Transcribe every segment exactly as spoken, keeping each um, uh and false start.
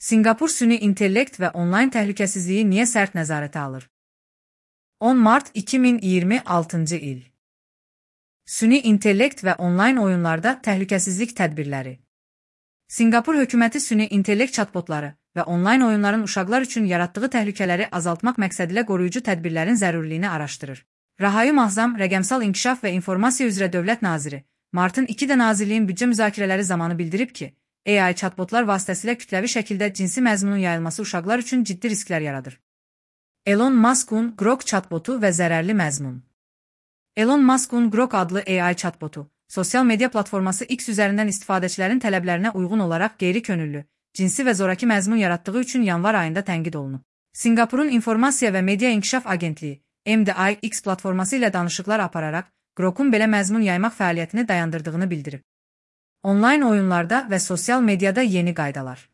Sinqapur süni intellekt və onlayn təhlükəsizliyi niyə sərt nəzarətə alır? on mart iki min iyirmi altıncı il. Süni intellekt və onlayn oyunlarda təhlükəsizlik tədbirləri. Sinqapur hökuməti süni intellekt chatbotları və onlayn oyunların uşaqlar üçün yaratdığı təhlükələri azaltmaq məqsədilə qoruyucu tədbirlərin zərurliyini araşdırır. Rahayu Mahzam, Rəqəmsal İnkişaf və İnformasiya üzrə Dövlət Naziri, martın ikidə Nazirliyin büdcə müzakirələri zamanı bildirib ki, A I chatbotlar vasitəsilə kütləvi şəkildə cinsi məzmunun yayılması uşaqlar üçün ciddi risklər yaradır. Elon Musk'un Grok chatbotu və zərərli məzmun. Elon Musk'un Grok adlı A I chatbotu, sosial media platforması X üzərindən istifadəçilərin tələblərinə uyğun olaraq qeyri-könüllü, cinsi və zoraki məzmun yaratdığı üçün yanvar ayında tənqid olunub. Sinqapurun İnformasiya və Media İnkişaf Agentliyi, M D I X platforması ilə danışıqlar apararaq, Grok'un belə məzmun yaymaq fəaliyyətini dayandırdığını bildirib. Onlayn oyunlarda və sosial mediada yeni qaydalar.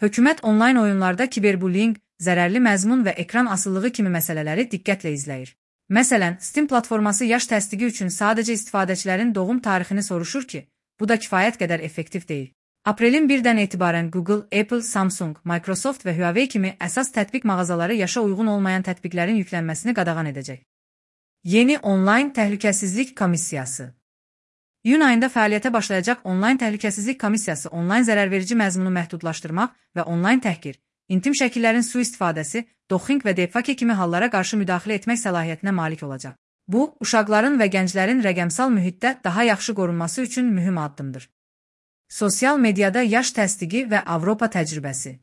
Hökumət onlayn oyunlarda kiberbullying, zərərli məzmun və ekran asılılığı kimi məsələləri diqqətlə izləyir. Məsələn, Steam platforması yaş təsdiqi üçün sadəcə istifadəçilərin doğum tarixini soruşur ki, bu da kifayət qədər effektiv deyil. Aprelin birdən etibarən Google, Apple, Samsung, Microsoft və Huawei kimi əsas tətbiq mağazaları yaşa uyğun olmayan tətbiqlərin yüklənməsini qadağan edəcək. Yeni onlayn təhlükəsizlik komissiyası. İyun ayında fəaliyyətə başlayacaq onlayn təhlükəsizlik komissiyası onlayn zərərverici məzmunu məhdudlaşdırmaq və onlayn təhqir, intim şəkillərin sui-istifadəsi, doxing və deepfake kimi hallara qarşı müdaxilə etmək səlahiyyətinə malik olacaq. Bu, uşaqların və gənclərin rəqəmsal mühitdə daha yaxşı qorunması üçün mühüm addımdır. Sosial mediada yaş təsdiqi və Avropa təcrübəsi.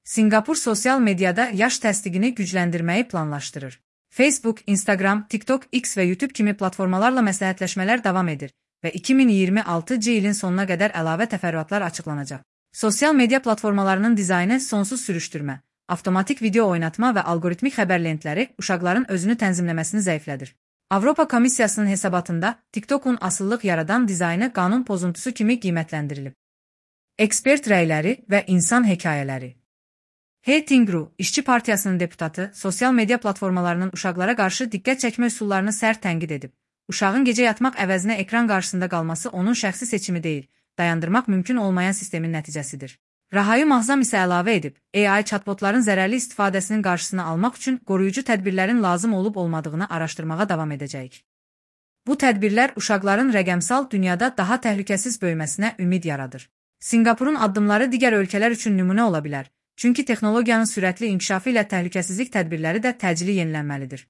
Sinqapur sosial mediada yaş təsdiqini gücləndirməyi planlaşdırır. Facebook, Instagram, TikTok, X və YouTube kimi platformalarla məsləhətləşmələr davam edir və iki min iyirmi altıncı ilin sonuna qədər əlavə təfərrüatlar açıqlanacaq. Sosial media platformalarının dizaynı sonsuz sürüşdürmə, avtomatik video oynatma və algoritmik xəbər lentləri uşaqların özünü tənzimləməsini zəiflədir. Avropa Komissiyasının hesabatında TikTok'un asıllıq yaradan dizaynı qanun pozuntusu kimi qiymətləndirilib. Ekspert rəyləri və insan hekayələri. He Tingru, İşçi Partiyasının deputatı, sosial media platformalarının uşaqlara qarşı diqqət çəkmə üsullarını sərt tənqid edib. Uşağın gecə yatmaq əvəzinə ekran qarşısında qalması onun şəxsi seçimi deyil, dayandırmaq mümkün olmayan sistemin nəticəsidir. Rahayu Mahzam isə əlavə edib, A I chatbotların zərərli istifadəsinin qarşısını almaq üçün qoruyucu tədbirlərin lazım olub-olmadığını araşdırmağa davam edəcəyik. Bu tədbirlər uşaqların rəqəmsal dünyada daha təhlükəsiz böyüməsinə ümid yaradır. Sinqapurun addımları digər ölkələr üçün nümunə ola bilər, çünki texnologiyanın sürətli inkişafı ilə təhlükəsizlik tədbirləri də təcili yenilənməlidir.